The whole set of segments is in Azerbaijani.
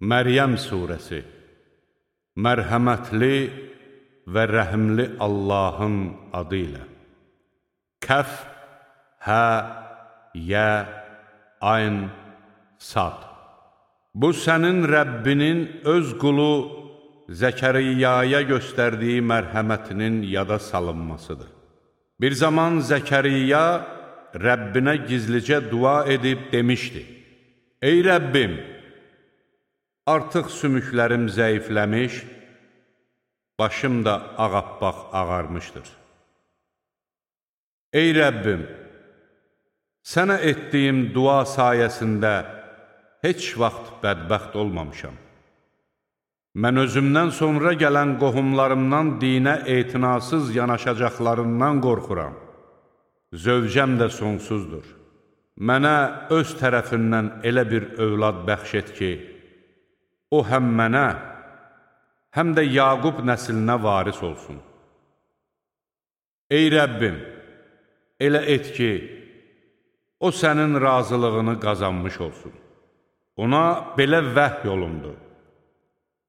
Məryəm surəsi. Mərhəmətli və rəhimli Allahın adı ilə. Kəf, hə, yə, ayn, sad. Bu sənin Rəbbinin öz qulu Zəkəriyyaya göstərdiyi mərhəmətinin yada salınmasıdır. Bir zaman Zəkəriyya Rəbbinə gizlicə dua edib demişdi: Ey Rəbbim! Artıq sümüklərim zəifləmiş, başım da ağappaq ağarmışdır. Ey Rəbbim, sənə etdiyim dua sayəsində heç vaxt bədbəxt olmamışam. Mən özümdən sonra gələn qohumlarımdan dinə etinasız yanaşacaqlarından qorxuram. Zövcəm də sonsuzdur. Mənə öz tərəfindən elə bir övlad bəxş et ki, o həm mənə, həm də Yaqub nəslinə varis olsun. Ey Rəbbim, elə et ki, o sənin razılığını qazanmış olsun. Ona belə vəhy olundu: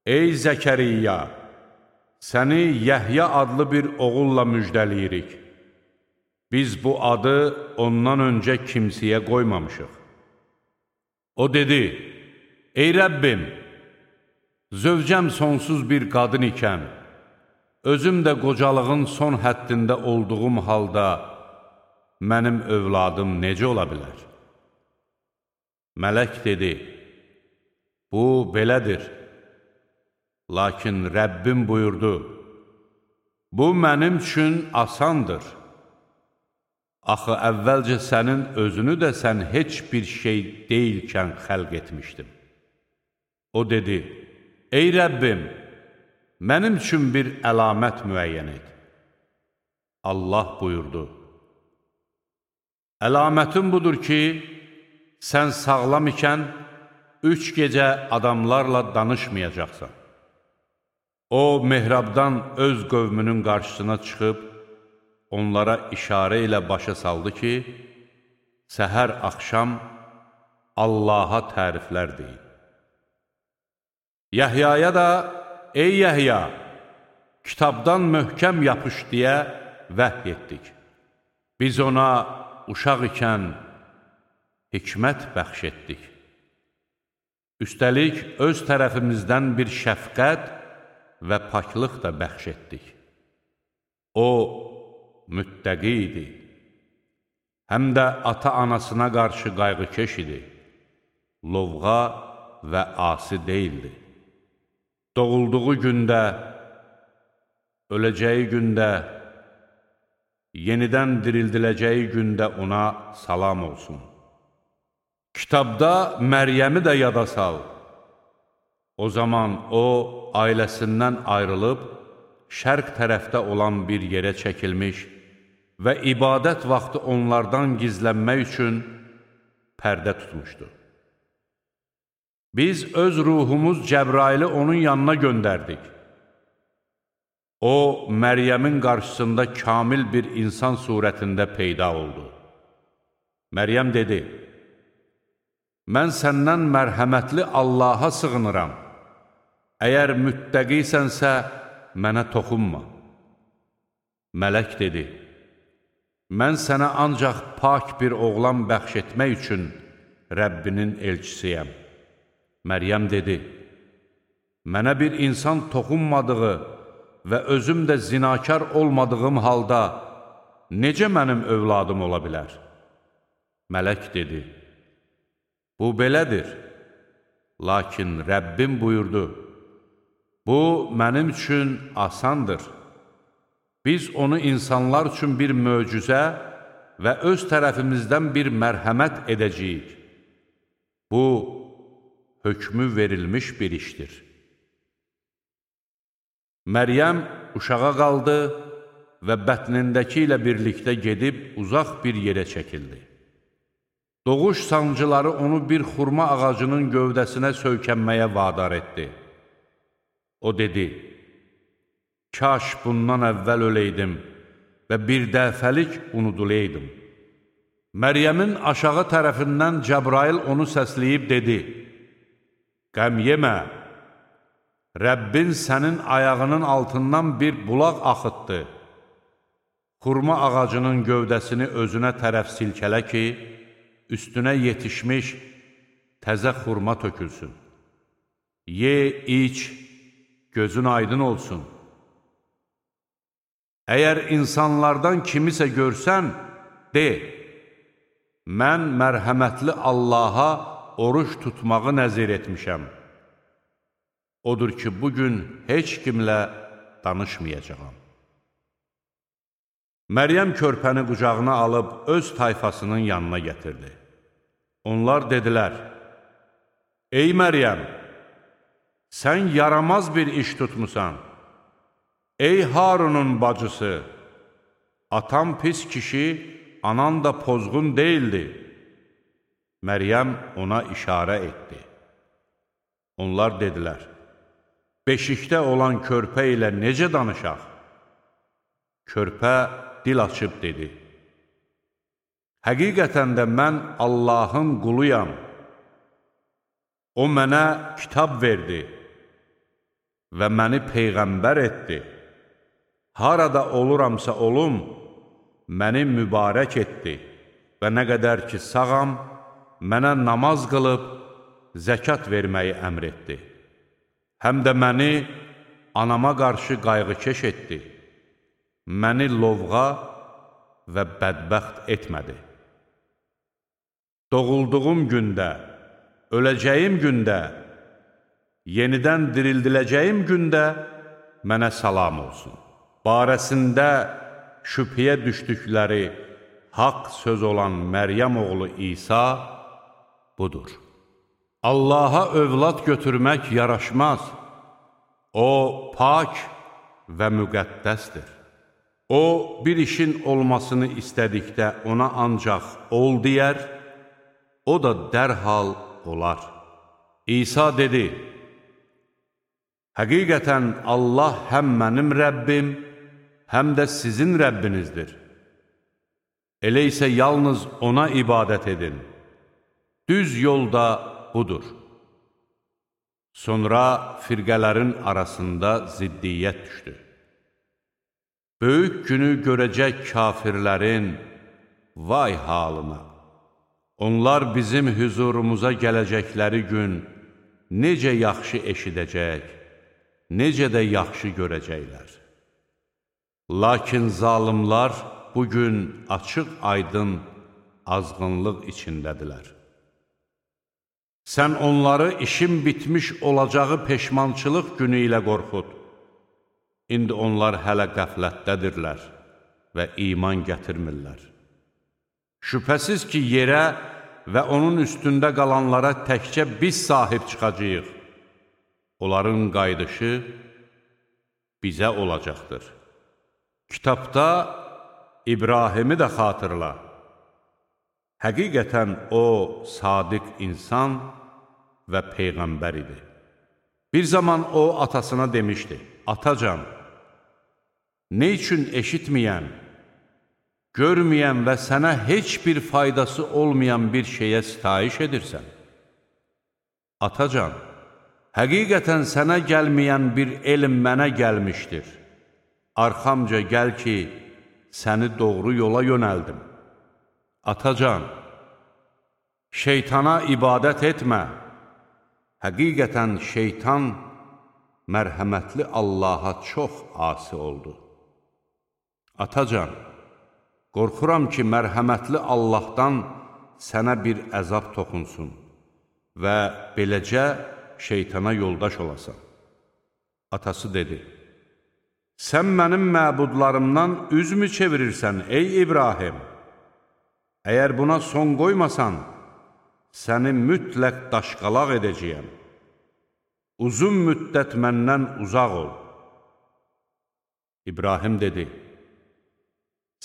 Ey Zəkəriyya, səni Yəhya adlı bir oğulla müjdəliyirik. Biz bu adı ondan öncə kimsəyə qoymamışıq. O dedi: Ey Rəbbim, zövcəm sonsuz bir qadın ikən, özüm də qocalığın son həddində olduğum halda mənim övladım necə ola bilər? Mələk dedi: Bu belədir. Lakin Rəbbim buyurdu: Bu mənim üçün asandır. Axı əvvəlcə sənin özünü də sən heç bir şey deyilkən xəlq etmişdim. O dedi: Ey Rəbbim, mənim üçün bir əlamət müəyyən et. Allah buyurdu: Əlamətin budur ki, sən sağlam ikən 3 gecə adamlarla danışmayacaqsan. O, mehrabdan öz qövmünün qarşısına çıxıb, onlara işarə ilə başa saldı ki, səhər axşam Allaha təriflər deyin. Yəhyaya da, ey Yəhya, kitabdan möhkəm yapış deyə vəhy etdik. Biz ona uşaq ikən hikmət bəxş etdik. Üstəlik, öz tərəfimizdən bir şəfqət və paklıq da bəxş etdik. O, müttəqi idi. Həm də ata-anasına qarşı qayğıkeş idi. Lovğa və asi deyildi. Doğulduğu gündə, öləcəyi gündə, yenidən dirildiləcəyi gündə ona salam olsun. Kitabda Məryəmi də yada sal. O zaman o, ailəsindən ayrılıb, şərq tərəfdə olan bir yerə çəkilmiş və ibadət vaxtı onlardan gizlənmək üçün pərdə tutmuşdu. Biz öz ruhumuz Cəbraili onun yanına göndərdik. O, Məryəmin qarşısında kamil bir insan surətində peyda oldu. Məryəm dedi: Mən səndən mərhəmətli Allaha sığınıram. Əgər müttəqisənsə, mənə toxunma. Mələk dedi: Mən sənə ancaq pak bir oğlan bəxş etmək üçün Rəbbinin elçisiyəm. Məryəm dedi: Mənə bir insan toxunmadığı və özüm də zinakar olmadığım halda necə mənim övladım ola bilər? Mələk dedi: Bu belədir. Lakin Rəbbim buyurdu: Bu mənim üçün asandır. Biz onu insanlar üçün bir möcüzə və öz tərəfimizdən bir mərhəmət edəcəyik. Bu, hökmü verilmiş bir işdir. Məryəm uşağa qaldı və bətnindəki ilə birlikdə gedib uzaq bir yerə çəkildi. Doğuş sancıları onu bir xurma ağacının gövdəsinə söykənməyə vadar etdi. O dedi: Kaş bundan əvvəl öləydim və bir dəfəlik unudulaydım. Məryəmin aşağı tərəfindən Cəbrail onu səsləyib dedi: qəm yemə, Rəbbin sənin ayağının altından bir bulaq axıtdı. Xurma ağacının gövdəsini özünə tərəf silkələ ki, üstünə yetişmiş təzə xurma tökülsün. Ye, iç, gözün aydın olsun. Əgər insanlardan kimisə görsən, de, mən mərhəmətli Allaha oruç tutmağı nəzir etmişəm. Odur ki, bugün heç kimlə danışmayacağam. Məryəm körpəni qucağına alıb öz tayfasının yanına gətirdi. Onlar dedilər, ey Məryəm, sən yaramaz bir iş tutmusan. Ey Harunun bacısı, atan pis kişi, anan da pozğun deyildi. Məryəm ona işarə etdi. Onlar dedilər, beşikdə olan körpə ilə necə danışaq? Körpə dil açıb dedi, həqiqətən də mən Allahın quluyam. O mənə kitab verdi və məni peyğəmbər etdi. Harada oluramsa olum, məni mübarək etdi və nə qədər ki sağam, mənə namaz qılıb, zəkat verməyi əmr etdi. Həm də məni anama qarşı qayğıkeş etdi. Məni lovğa və bədbəxt etmədi. Doğulduğum gündə, öləcəyim gündə, yenidən dirildiləcəyim gündə mənə salam olsun. Barəsində şübhəyə düşdükləri haqq söz olan Məryəm oğlu İsa budur. Allaha övlad götürmək yaraşmaz. O, pak və müqəddəsdir. O, bir işin olmasını istədikdə ona ancaq ol deyər, o da dərhal olar. İsa dedi, həqiqətən Allah həm mənim Rəbbim, həm də sizin Rəbbinizdir. Elə isə yalnız ona ibadət edin. Düz yolda budur. Sonra firqələrin arasında ziddiyyət düşdü. Böyük günü görəcək kafirlərin vay halına. Onlar bizim hüzurumuza gələcəkləri gün necə yaxşı eşidəcək, necə də yaxşı görəcəklər. Lakin zalimlar bugün açıq-aydın azğınlıq içindədirlər. Sən onları işin bitmiş olacağı peşmançılıq günü ilə qorxud. İndi onlar hələ qəflətdədirlər və iman gətirmirlər. Şübhəsiz ki, yerə və onun üstündə qalanlara təkcə biz sahib çıxacağıq. Onların qayıdışı bizə olacaqdır. Kitabda İbrahimi də xatırla. Həqiqətən o, sadiq insan və peyğəmbər idi. Bir zaman o, atasına demişdi, atacan, nə üçün eşitməyən, görməyən və sənə heç bir faydası olmayan bir şeyə sitayiş edirsən? Atacan, həqiqətən sənə gəlməyən bir elm mənə gəlmişdir. Arxamca gəl ki, səni doğru yola yönəldim. Atacan, şeytana ibadət etmə. Həqiqətən şeytan mərhəmətli Allaha çox asi oldu. Atacan, qorxuram ki, mərhəmətli Allahdan sənə bir əzab toxunsun və beləcə şeytana yoldaş olasan. Atası dedi, sən mənim məbudlarımdan üzmü çevirirsən, ey İbrahim? Əgər buna son qoymasan, səni mütləq daşqalaq edəcəyəm. Uzun müddət məndən uzaq ol. İbrahim dedi,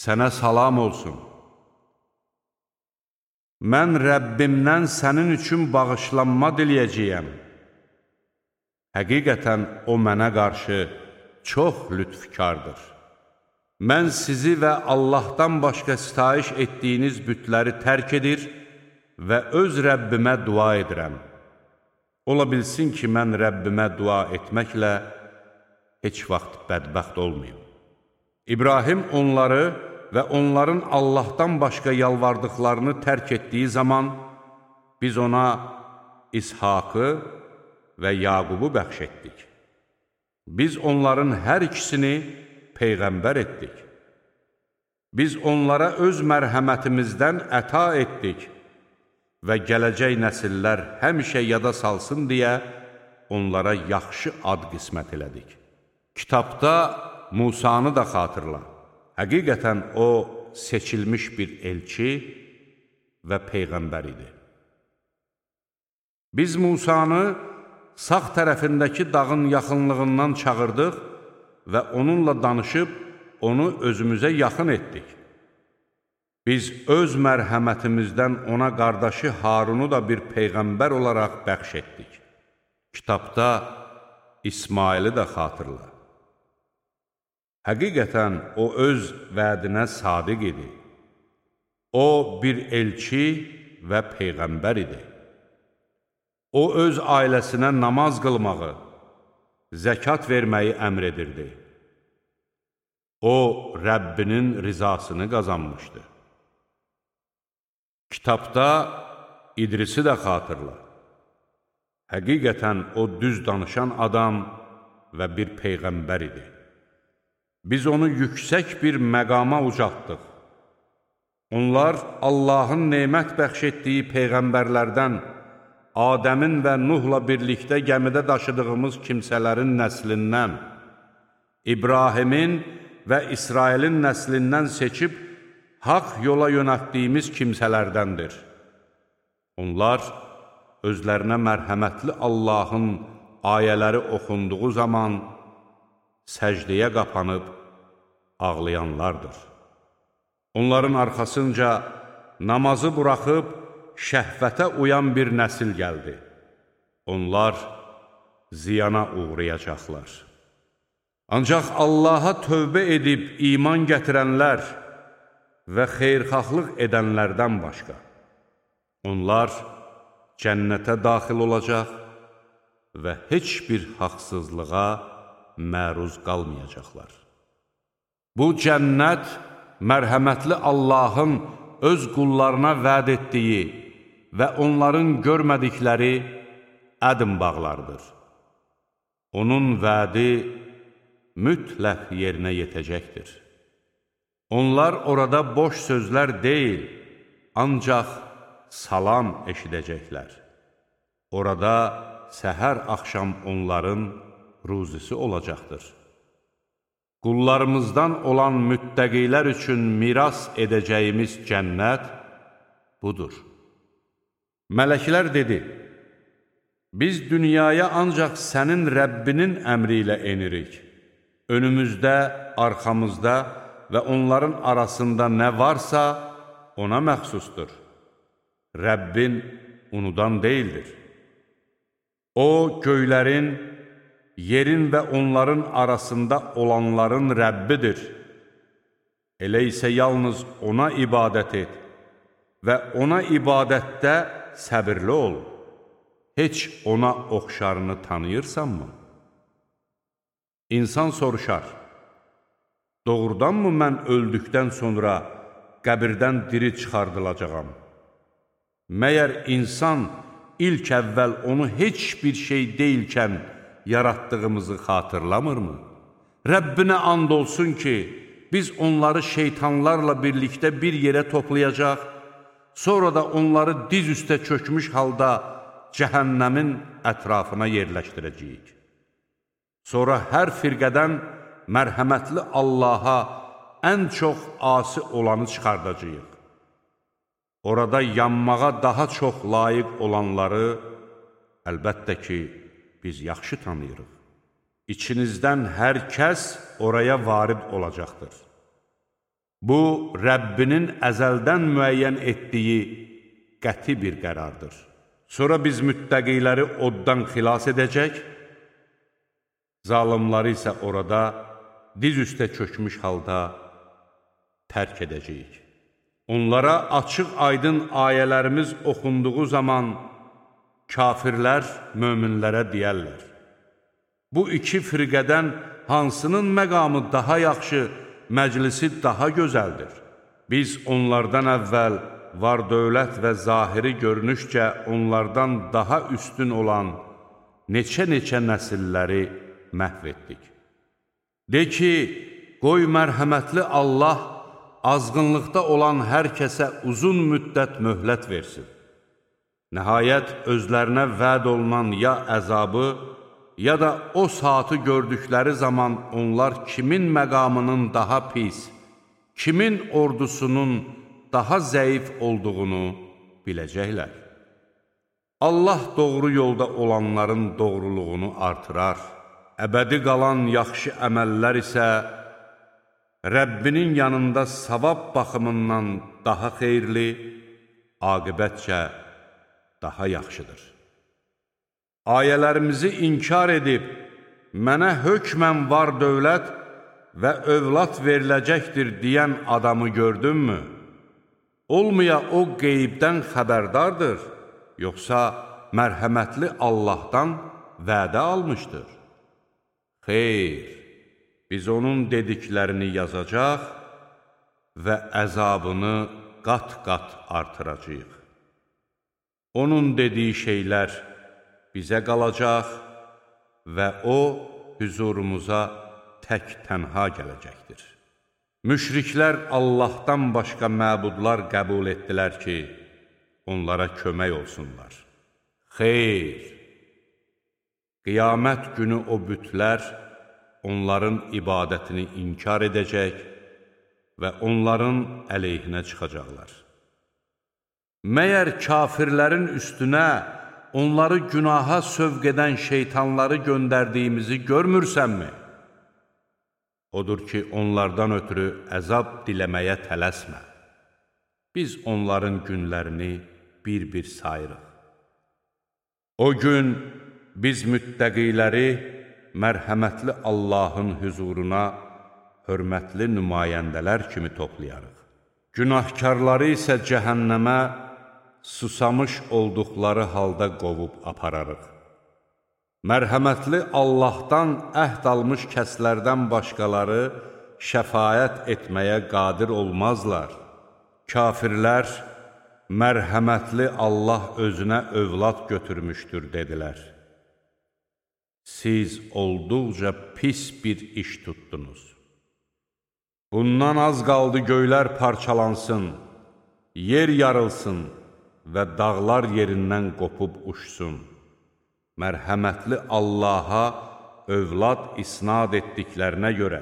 sənə salam olsun. Mən Rəbbimdən sənin üçün bağışlanma diləyəcəyəm. Həqiqətən o mənə qarşı çox lütfkardır. Mən sizi və Allahdan başqa sitayiş etdiyiniz bütləri tərk edir və öz Rəbbimə dua edirəm. Ola bilsin ki, mən Rəbbimə dua etməklə heç vaxt bədbəxt olmayım. İbrahim onları və onların Allahdan başqa yalvardıqlarını tərk etdiyi zaman, biz ona İshakı və Yaqubu bəxş etdik. Biz onların hər ikisini Peyğəmbər etdik. Biz onlara öz mərhəmətimizdən əta etdik və gələcək nəsillər həmişə yada salsın deyə onlara yaxşı ad qismət elədik. Kitabda Musanı da xatırla. Həqiqətən o, seçilmiş bir elçi və Peyğəmbər idi. Biz Musanı sağ tərəfindəki dağın yaxınlığından çağırdıq və onunla danışıb, onu özümüzə yaxın etdik. Biz öz mərhəmətimizdən ona qardaşı Harunu da bir Peyğəmbər olaraq bəxş etdik. Kitabda İsmaili də xatırla. Həqiqətən o öz vədinə sadiq idi. O bir elçi və Peyğəmbər idi. O öz ailəsinə namaz qılmağı, zəkat verməyi əmr edirdi. O, Rəbbinin rizasını qazanmışdı. Kitabda İdrisi də xatırla. Həqiqətən o düz danışan adam və bir Peyğəmbər idi. Biz onu yüksək bir məqama ucaltdıq. Onlar Allahın nemət bəxş etdiyi Peyğəmbərlərdən, Adəmin və Nuhla birlikdə gəmidə daşıdığımız kimsələrin nəslindən, İbrahimin və İsrailin nəslindən seçib, haqq yola yönətdiyimiz kimsələrdəndir. Onlar özlərinə mərhəmətli Allahın ayələri oxunduğu zaman səcdəyə qapanıb ağlayanlardır. Onların arxasınca namazı buraxıb şəhvətə uyan bir nəsil gəldi. Onlar ziyana uğrayacaqlar. Ancaq Allaha tövbə edib iman gətirənlər və xeyrxahlıq edənlərdən başqa. Onlar cənnətə daxil olacaq və heç bir haqsızlığa məruz qalmayacaqlar. Bu cənnət mərhəmətli Allahın öz qullarına vəd etdiyi və onların görmədikləri ədm bağlardır. Onun vədi mütləq yerinə yetəcəkdir. Onlar orada boş sözlər deyil, ancaq salam eşidəcəklər. Orada səhər axşam onların ruzisi olacaqdır. Qullarımızdan olan müttəqilər üçün miras edəcəyimiz cənnət budur. Mələklər dedi, biz dünyaya ancaq sənin Rəbbinin əmri ilə enirik. Önümüzdə, arxamızda və onların arasında nə varsa ona məxsusdur. Rəbbin unudan deyildir. O, göylərin, yerin və onların arasında olanların Rəbbidir. Elə isə yalnız ona ibadət et və ona ibadətdə səbirli ol. Heç ona oxşarını tanıyırsanmı? İnsan soruşar, doğrudanmı mən öldükdən sonra qəbirdən diri çıxardılacağam? Məyər insan ilk əvvəl onu heç bir şey deyilkən yaratdığımızı xatırlamırmı? Rəbbinə and olsun ki, biz onları şeytanlarla birlikdə bir yerə toplayacaq, sonra da onları diz üstə çökmüş halda cəhənnəmin ətrafına yerləşdirəcəyik. Sonra hər firqədən mərhəmətli Allaha ən çox asi olanı çıxardacağıq. Orada yanmağa daha çox layiq olanları əlbəttə ki, biz yaxşı tanıyırıq. İçinizdən hər kəs oraya varid olacaqdır. Bu, Rəbbinin əzəldən müəyyən etdiyi qəti bir qərardır. Sonra biz müttəqiləri oddan xilas edəcək, zalimları isə orada diz üstə çökmüş halda tərk edəcəyik. Onlara açıq aydın ayələrimiz oxunduğu zaman Kafirlər möminlərə deyərlər: bu iki firqədən hansının məqamı daha yaxşı, məclisi daha gözəldir? Biz onlardan əvvəl var dövlət və zahiri görünüşcə onlardan daha üstün olan neçə-neçə nəsilləri məhv etdik. De ki, qoy mərhəmətli Allah azğınlıqda olan hər kəsə uzun müddət möhlət versin. Nəhayət, özlərinə vəd olunan ya əzabı, ya da o saatı gördükləri zaman onlar kimin məqamının daha pis, kimin ordusunun daha zəif olduğunu biləcəklər. Allah doğru yolda olanların doğruluğunu artırar. Əbədi qalan yaxşı əməllər isə Rəbbinin yanında savab baxımından daha xeyirli, aqibətcə daha yaxşıdır. Ayələrimizi inkar edib, mənə hökmən var dövlət və övlad veriləcəkdir deyən adamı gördünmü? Olmaya o qeybdən xəbərdardır, yoxsa mərhəmətli Allahdan vədə almışdır? Xeyr, biz onun dediklərini yazacaq və əzabını qat-qat artıracaq. Onun dediyi şeylər bizə qalacaq və o, hüzurumuza tək-tənha gələcəkdir. Müşriklər Allahdan başqa məbudlar qəbul etdilər ki, onlara kömək olsunlar. Xeyr! Qiyamət günü o bütlər onların ibadətini inkar edəcək və onların əleyhinə çıxacaqlar. Məyər kafirlərin üstünə onları günaha sövq edən şeytanları göndərdiyimizi görmürsənmi? Odur ki, onlardan ötürü əzab diləməyə tələsmə. Biz onların günlərini bir-bir sayırıq. O gün biz müttəqiləri mərhəmətli Allahın hüzuruna hörmətli nümayəndələr kimi toplayarıq. Günahkarları isə cəhənnəmə susamış olduqları halda qovub apararıq. Mərhəmətli Allahdan əhd almış kəslərdən başqaları şəfaət etməyə qadir olmazlar. Kafirlər, mərhəmətli Allah özünə övlad götürmüşdür, dedilər. Siz olduqca pis bir iş tutdunuz. Bundan az qaldı göylər parçalansın, yer yarılsın və dağlar yerindən qopub uçsun. Mərhəmətli Allaha övlad isnad etdiklərinə görə,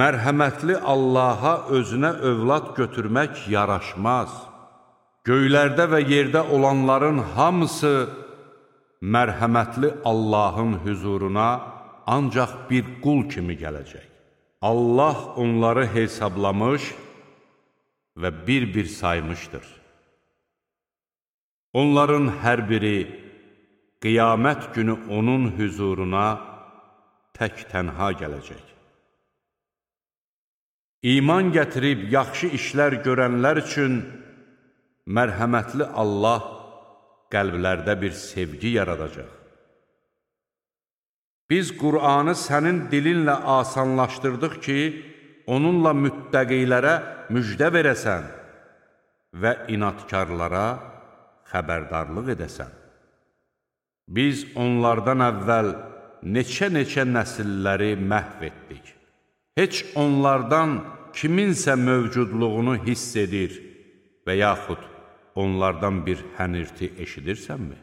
mərhəmətli Allaha özünə övlad götürmək yaraşmaz. Göylərdə və yerdə olanların hamısı mərhəmətli Allahın hüzuruna ancaq bir qul kimi gələcək. Allah onları hesablamış və bir-bir saymışdır. Onların hər biri qiyamət günü onun hüzuruna tək-tənha gələcək. İman gətirib yaxşı işlər görənlər üçün mərhəmətli Allah qəlblərdə bir sevgi yaradacaq. Biz Qur'anı sənin dilinlə asanlaşdırdıq ki, onunla müttəqilərə müjdə verəsən və inatkarlara xəbərdarlıq edəsən. Biz onlardan əvvəl neçə-neçə nəsilləri məhv etdik. Heç onlardan kiminsə mövcudluğunu hiss edir və yaxud onlardan bir hənirti eşidirsənmi?